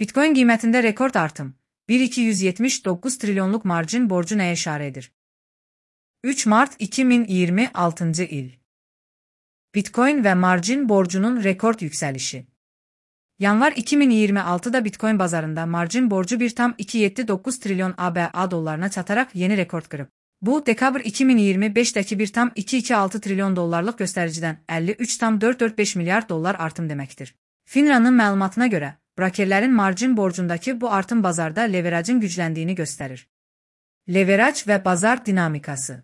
Bitcoin qiymətində rekord artım. 1,279 trilyonluq marjin borcu nəyə işarə edir? 3 mart 2026 il. Bitcoin və marjin borcunun rekord yüksəlişi. Yanvar 2026-da Bitcoin bazarında marjin borcu 1,279 trilyon ABA dollarına çataraq yeni rekord qırıb. Bu, dekabr 2025-dəki 1,226 trilyon dollarlıq göstəricidən 53,445 milyard dollar artım deməkdir. FINRA'nın məlumatına görə, brokerlərin marjin borcundakı bu artım bazarda leverajın gücləndiyini göstərir. Leveraj və bazar dinamikası.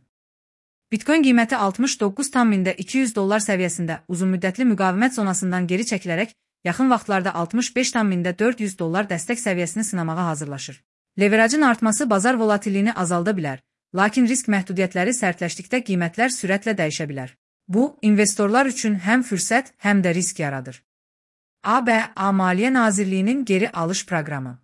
Bitcoin qiyməti 69,200 dollar səviyyəsində uzunmüddətli müqavimət zonasından geri çəkilərək, yaxın vaxtlarda 65,400 dollar dəstək səviyyəsini sınamağa hazırlaşır. Leverajın artması bazar volatilliyini azalda bilər, lakin risk məhdudiyyətləri sərtləşdikdə qiymətlər sürətlə dəyişə bilər. Bu, investorlar üçün həm fürsət, həm də risk yaradır. ABA Maliyyə Nazirliyinin geri alış proqramı.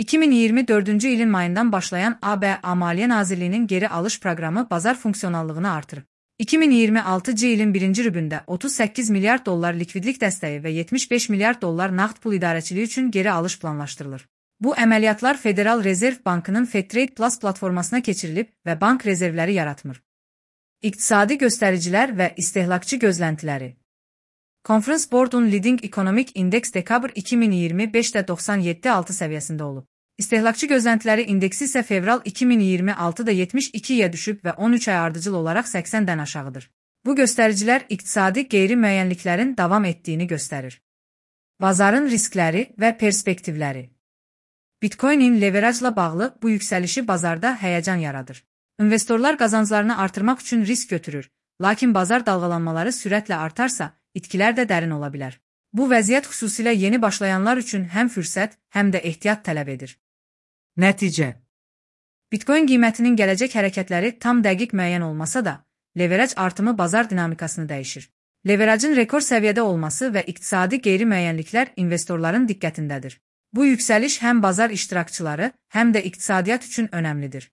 2024-cü ilin mayından başlayan ABA Maliyyə Nazirliyinin geri alış proqramı bazar funksionallığını artırır. 2026-cı ilin birinci rübündə 38 milyard dollar likvidlik dəstəyi və 75 milyard dollar nağd pul idarəçiliyi üçün geri alış planlaşdırılır. Bu əməliyyatlar Federal Rezerv Bankının FedTrade Plus platformasına keçirilib və bank rezervləri yaratmır. İqtisadi göstəricilər və istehlakçı gözləntiləri. Conference Board'un Leading Economic Index dekabr 2025-də 97,6 səviyyəsində olub. İstehlakçı gözləntiləri indeksi isə fevral 2026-da 72-yə düşüb və 13 ay ardıcıl olaraq 80-dən aşağıdır. Bu göstəricilər iqtisadi qeyri-müəyyənliklərin davam etdiyini göstərir. Bazarın riskləri və perspektivləri. Bitcoin'in leverajla bağlı bu yüksəlişi bazarda həyəcan yaradır. İnvestorlar qazanclarını artırmaq üçün risk götürür, lakin bazar dalğalanmaları sürətlə artarsa, itkilər də dərin ola bilər. Bu vəziyyət xüsusilə yeni başlayanlar üçün həm fürsət, həm də ehtiyat tələb edir. Nəticə. Bitcoin qiymətinin gələcək hərəkətləri tam dəqiq müəyyən olmasa da, leveraj artımı bazar dinamikasını dəyişir. Leverajın rekord səviyyədə olması və iqtisadi qeyri-müəyyənliklər investorların diqqətindədir. Bu yüksəliş həm bazar iştirakçıları, həm də iqtisadiyyat üçün önəmlidir.